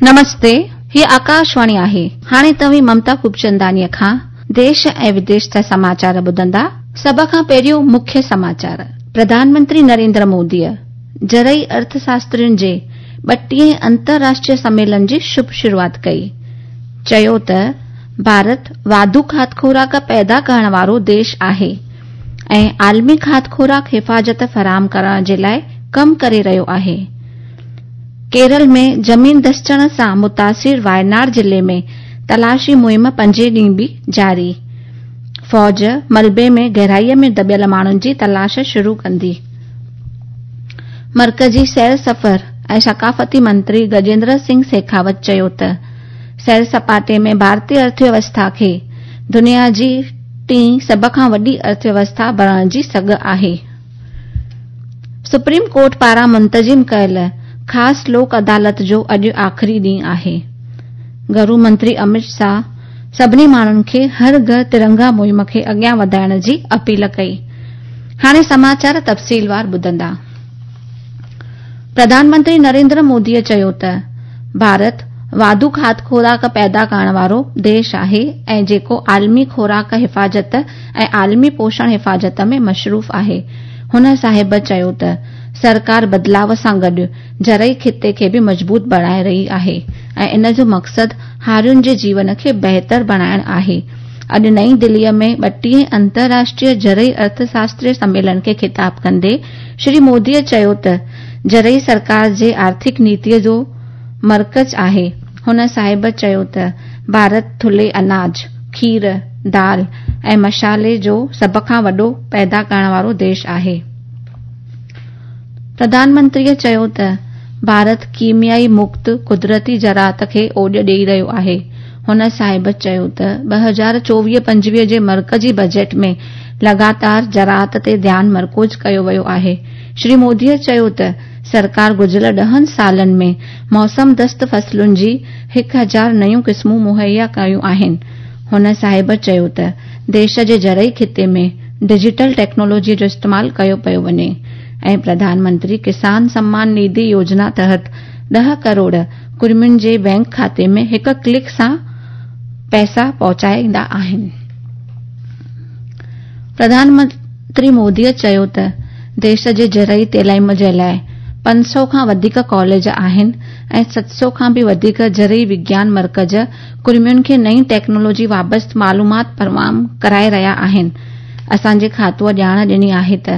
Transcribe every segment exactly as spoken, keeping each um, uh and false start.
नमस्ते, ही आकाशवाणी आहे। हाणे तव्हीं ममता खूबचंदानीअ खां देश ऐं विदेश जा समाचार ॿुधंदा। सभ खां पहिरियों मुख्य समाचार। प्रधानमंत्री नरेंद्र मोदीअ ज़रई अर्थशास्त्रियुनि जे ॿटीह अंतर्राष्ट्रीय सम्मेलन जी शुभ शुरूआत कई। चयो त भारत वाधू खाध खुराक पैदा करण वारो देश आहे ऐं आलमी खाध खुराक हिफाज़त फराहम करण जे लाइ कम करे रहियो आहे। केरल में ज़मीन धसचण सां मुतासिर वायनाड ज़िले में तलाशी मुहिम पंजे ॾींहुं बि जारी। फौज मलबे में गहराईअ में दॿियल माण्हुनि जी तलाश शुरू कंदी। मर्कज़ी सैर सफ़र ऐं सकाफ़ती मंत्री गजेंद्र सिंह शेखावत चयो त सैर सपाटे में भारतीय अर्थव्यवस्था खे दुनिया जी टीं सभ खां वॾी अर्थव्यवस्था बणाइण जी सघ आहे। सुप्रीम कोर्ट पारां मुंतज़िम कयल ख़ासि लोक अदालत जो अॼु आख़िरी ॾींहुं आहे। गृह मंत्री अमित शाह सभिनी माण्हुनि खे हर घर तिरंगा मुहिम खे अॻियां वधाइण जी अपील कई। हाणे समाचार तफ़सीलवार ॿुधंदा। प्रधानमंत्री नरेंद्र मोदीअ चयो त भारत वाधू खाध खुराक पैदा करण वारो देश आहे ऐं जेको आलमी खुराक हिफाज़त ऐं आलमी पोषण हिफाज़त में मशरूफ़ आहे। हुन साहिब चयो त सरकार बदिलाव सां गॾु ज़रई ख़िते खे बि मज़बूत बणाए रही आहे ऐं इन जो मक़सदु हारियुनि जे जीवन खे बहितर बणाइण आहे। अॼु नई दिल्लीअ में ॿटीह अंतर्राष्ट्रीय ज़रई अर्थशास्त्रीय सम्मेलन खे ख़िताब कंदे श्री मोदीअ चयो त ज़रई सरकार जे आर्थिक नीतीअ जो मर्कज़ आहे। हुन साहिब चयो त भारत थुल्हे अनाज, खीर, दाल ऐं मसाले जो सभ खां वॾो पैदा करण वारो देश आहे। प्रधानमंत्रीअ चयो त भारत कीमियाई मुक्त कुदरती ज़राअत खे ओॾ ॾेई रहियो आहे। हुन साहिब चयो त ॿ हज़ार चोवीह पंजवीह जे मर्कज़ी बजट में लगातार ज़राअत ते ध्यानु मरकूज़ कयो वियो आहे। श्री मोदीअ चयो त सरकार गुज़िरियल ॾहनि सालनि में मौसम दस्त फसलुनि जी हिकु हज़ार नयूं क़िस्मूं मुहैया कयूं आहिनि। हुन साहिब चयो त देश जे ज़रई ख़िते में डिजिटल टेक्नोलॉजीअ जो इस्तेमालु कयो पियो वञे ऐं प्रधानमंत्री किसान सम्मान निधि योजना तहत ॾह करोड़ कुर्मियुनि जे बैंक खाते में हिकु क्लिक सां पैसा पहुचाईंदा आहिनि। प्रधानमंत्री मोदीअ चयो त देश जे ज़रई तालीम जे लाइ पंज सौ खां वधीक कॉलेज आहिनि ऐं सत सौ खां बि वधीक ज़रई विज्ञान मर्कज़ कुर्मियुनि खे नई टेक्नोलॉजी वाबस्ता मालूमात फराहम कराए रहिया आहिनि। असांजे खातूअ ॼाण ॾिनी आहे त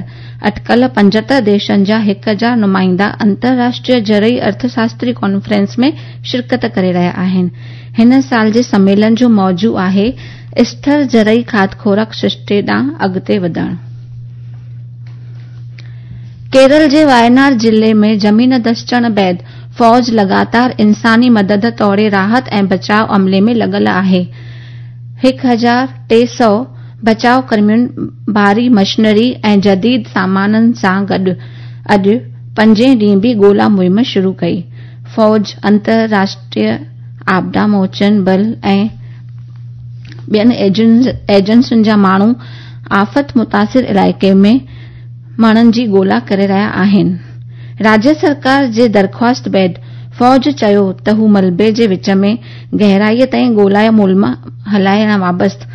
अटकल पंजहतरि देशनि जा हिकु हज़ार नुमाइंदा अंतर्राष्ट्रीय ज़रई अर्थशास्त्री कॉन्फ्रेंस में शिरकत करे रहिया आहिनि। हिन साल जे सम्मेलन जो मौज़ू आहे स्थिर ज़रई खाध खुराक सृष्टे ॾांहुं अॻिते वधणु। केरल जे वायनाड ज़िले में ज़मीन धसचण बाद फौज लगातार इंसानी मदद तोड़े राहत ऐं बचाव अमले में लॻल आहे। हिकु हज़ार टे सौ बचाव कर्मियुनि भारी मशीनरी ऐं जदीद सामाननि सां गॾु अॼु पंजे ॾींहुं बि ॻोल्हा मुहिम शुरू कई। फौज अंतर्राष्ट्रीय आपदा मोचन बल ऐं ॿियनि एजेंसियुनि जा माण्हू आफ़त मुतासिर इलाइक़े में माण्हुनि जी ॻोल्हा करे रहिया आहिनि। राज्य सरकार जे दरख़्वास्त बाद फौज चयो त हू मलबे जे विच में गहराईअ ताईं ॻोल्हा मुहिम हलाइण वाबस्ता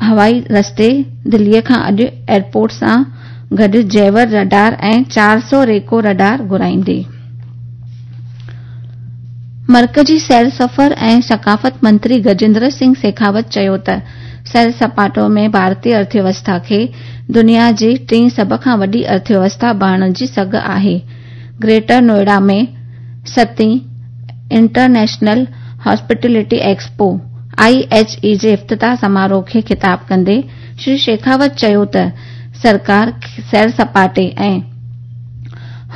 हवाई रस्ते दिल्लीअ खां अॼु एयरपोर्ट सां गॾु जेवर रडार ऐं चार सौ रेको रडार घुराईंदी। मर्कज़ी सैर सफ़र ऐं सकाफ़त मंत्री गजेंद्र सिंह शेखावत चयो त सैर सपाटो में भारतीय अर्थव्यवस्था खे दुनिया जी टीं सभ खां वॾी अर्थव्यवस्था बणाइण जी सघ आहे। ग्रेटर नोएडा में सतीं international hospitality expo I H E जे इफ़्तिताह समारोह खे ख़िताब कंदे श्री शेखावत चयो त सरकार सैर सपाटे ऐं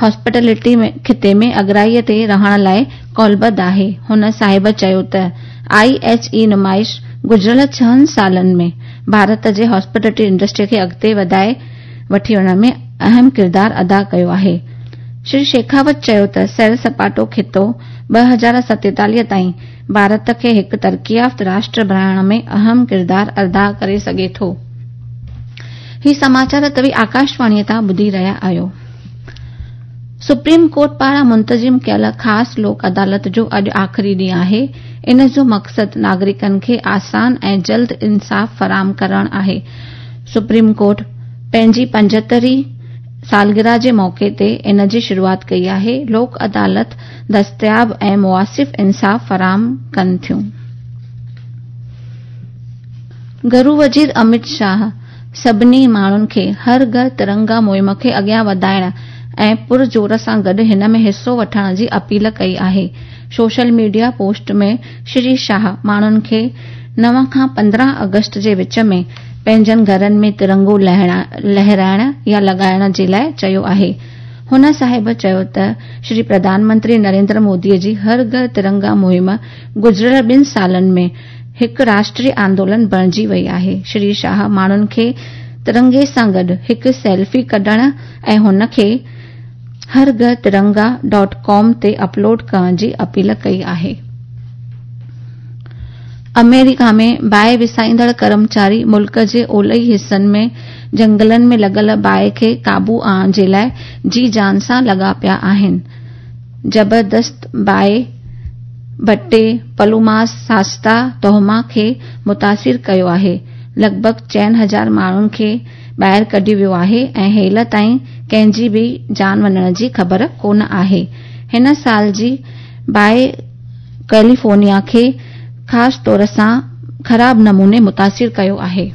हॉस्पिटलिटी ख़िते में अॻिराईअ ते रहण लाइ कौलबद्ध आहे। हुन साहिब चयो त I H E नुमाइश गुज़िरियल छहनि सालनि में भारत जे हॉस्पिटलिटी इंडस्ट्री खे अॻिते वधाए वठी वञण में अहम किरदारु अदा कयो आहे। श्री शेखावत चयो त सैर सपाटो ख़ितो ॿ हज़ार सतेतालीह ताईं भारत खे हिकु तरक़ी याफ़्त राष्ट्र बणाइण में अहम किरदारु अदा करे सघे थो। ही समाचार तव्हीं आकाशवाणीअ तां ॿुधी रहिया आहियो। सुप्रीम कोर्ट पारां मुंतज़िम कयल ख़ासि लोक अदालत जो अॼु आख़िरी ॾींहुं आहे। इन जो मक़सदु नागरिकनि खे आसान ऐं जल्द इंसाफ़ फराहम करणु आहे। सुप्रीम कोर्ट पंहिंजी पंजहतरीं सालगिरह जे मौक़े ते इन जी शुरूआत कई आहे। लोक अदालत दस्तियाब ऐं मुआसिफ़ इंसाफ़ फराहम कनि थियूं। गरू वज़ीर अमित शाह सभिनी माण्हुनि खे हर घर तिरंगा मुहिम खे अॻियां वधाइण ऐं पुरज़ोर सां गॾु हिन में हिसो वठण जी अपील कई आहे। सोशल मीडिया पोस्ट में श्री शाह माण्हुनि खे नव खां पंद्रहं अगस्त जे विच में पंहिंजनि घरनि में तिरंगो लहराइण या लॻाइण जे लाइ चयो आहे। हुन साहिब चयो त श्री प्रधानमंत्री नरेंद्र मोदीअ जी हर घर तिरंगा मुहिम गुज़िरियल ॿिनि सालनि में हिकु राष्ट्रीय आंदोलन बणिजी वई आहे। श्री शाह माण्हुनि खे तिरंगे सां गॾु हिकु सेल्फी कढण ऐं हुनखे हर घर तिरंगा डॉट कॉम ते अपलोड करण जी अपील कई आहे। अमेरिका में बाहि विसाईंदड़ कर्मचारी मुल्क जे ओलही हिसनि में जंगलनि में लॻल बाहि खे क़ाबू आणण जे लाइ जी जान सां लॻा पिया आहिनि। ज़बरदस्त बाहि भट्टे पलूमास सास्ता तोहमा खे मुतासिर कयो आहे। लॻभॻ चइनि हज़ार माण्हुनि खे ॿाहिरि कढियो वियो आहे ऐं हेल ताईं कंहिंजी बि जान वञण जी ख़बर कोन आहे। हिन साल जी बाहि कैलिफोर्निया खे ख़ासि तौर सां ख़राब नमूने मुतासिर कयो आहे।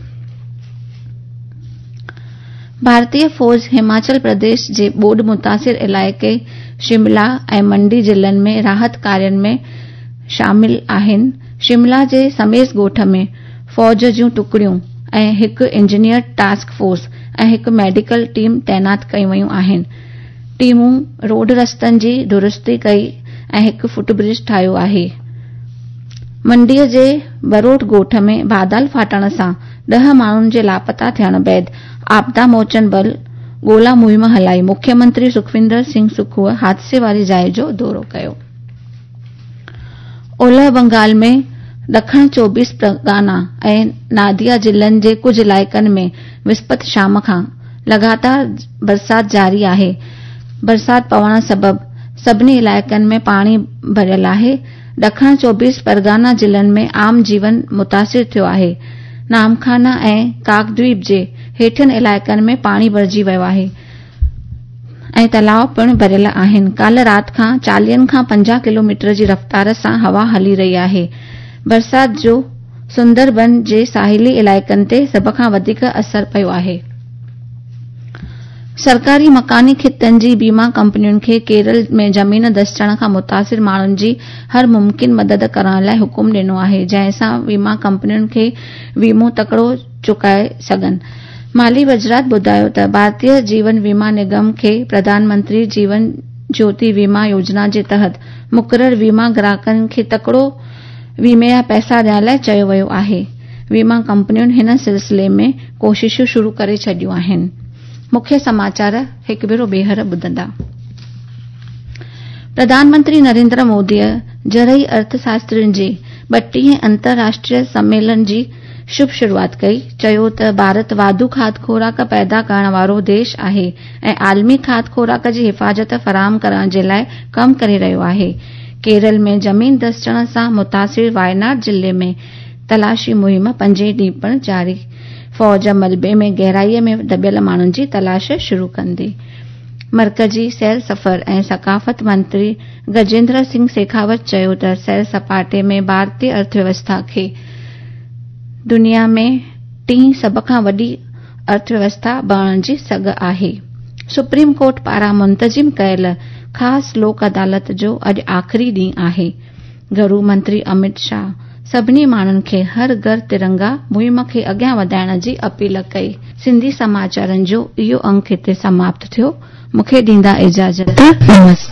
भारतीय फौज हिमाचल प्रदेश जे ॿोॾ मुतासिर इलाइक़े शिमला ऐं मंडी ज़िलनि में राहत कार्यनि में शामिल आहिनि। शिमला जे समेस ॻोठ में फौज जूं टुकड़ियूं ऐं हिकु इंजीनियर टास्क फोर्स ऐं हिकु मेडिकल टीम तैनात कयूं वयूं आहिनि। टीमूं रोड रस्तनि जी दुरुस्ती कई ऐं हिकु फुट ब्रिज ठाहियो आहे। मंडीअ जे बरोट ॻोठ में बादल फाटण सां ॾह माण्हुनि जे लापता थियण बाद आपदा मोचन बल ॻोल्हा मुहिम हलाई। मुख्यमंत्री सुखविंदर सिंह सुखूअ हादसे वारी जाइ जो दौरो कयो। ओलह बंगाल में ॾखण चौबीस परगना ऐं नादिया ज़िलनि जे कुझु इलाइक़नि में विस्पत शाम खां लगातार बरसाति जारी आहे। बरसाति पवण सबबि सभिनी इलाइक़नि में पाणी भरियल आहे। ॾखण चौबीस परगना ज़िलनि में आम जीवन मुतासिर थियो आहे। नामखाना ऐं काकद्वीप जे हेठियनि इलाइक़नि में पाणी भरिजी वियो आहे ऐं तलाउ पिणु भरियल आहिनि। काल्ह राति खां चालीहनि खां पंजाह किलोमीटर जी रफ़्तार सां हवा हली रही आहे। बरसाति जो सुंदरबन जे साहिली इलाइक़नि ते सभ खां वधीक असर पियो आहे। सरकारी मकानी ख़ितनि जी बीमा कंपनियुनि खे केरल में ज़मीन दसचण खां मुतासिर माण्हुनि जी हर मुमकिन मदद करण लाइ हुकुम ॾिनो आहे, जंहिंसां बीमा कंपनियुनि खे वीमो तकड़ो चुकाए सघनि। माली वज़ारत ॿुधायो त भारतीय जीवन बीमा निगम खे प्रधानमंत्री जीवन ज्योति बीमा योजना जे तहत मुक़ररु बीमा ग्राहकनि खे तकड़ो वीमे जा पैसा ॾियण लाइ चयो वियो आहे। बीमा कंपनियुनि हिन सिलसिले में कोशिशूं शुरू करे छॾियूं आहिनि। मुख्य समाचार हिकु भेरो ॿीहर ॿुधंदा। प्रधानमंत्री नरेंद्र मोदीअ ज़रई अर्थशास्त्रियुनि जे ॿटीह अंतर्राष्ट्रीय सम्मेलन जी शुभ शुरूआत कई। चयो त भारत वाधू खाद खुराक पैदा करण वारो देश आहे ऐं आलमी खाद खुराक जी हिफाज़त फराहम करण जे लाइ कमु करे रहियो आहे। केरल में ज़मीन दसचण सां मुतासिर वायनाड ज़िले में तलाशी मुहिम पंजे ॾींहुं पिणु जारी। फौज मलबे में गहराईअ में दॿियल माण्हुनि जी तलाश शुरू कंदी। मर्कज़ी सैर सफ़र ऐं सकाफ़त मंत्री गजेंद्र सिंह शेखावत चयो त सैर सपाटे में भारतीय अर्थव्यवस्था खे दुनिया में टीं सभ खां वॾी अर्थव्यवस्था बणण जी सघ आहे। सुप्रीम कोर्ट पारां मुंतज़िम कयल ख़ासि लोक अदालत जो अॼु आख़िरी ॾींहुं आहे। गरू मंत्री अमित शाह सभिनी माण्हुनि खे हर घर तिरंगा मुहिम खे अॻियां वधाइण जी अपील कई। सिंधी समाचारनि जो इहो अंक हिते समाप्त थियो। मूंखे ॾींदा इजाज़त। नमस्ते।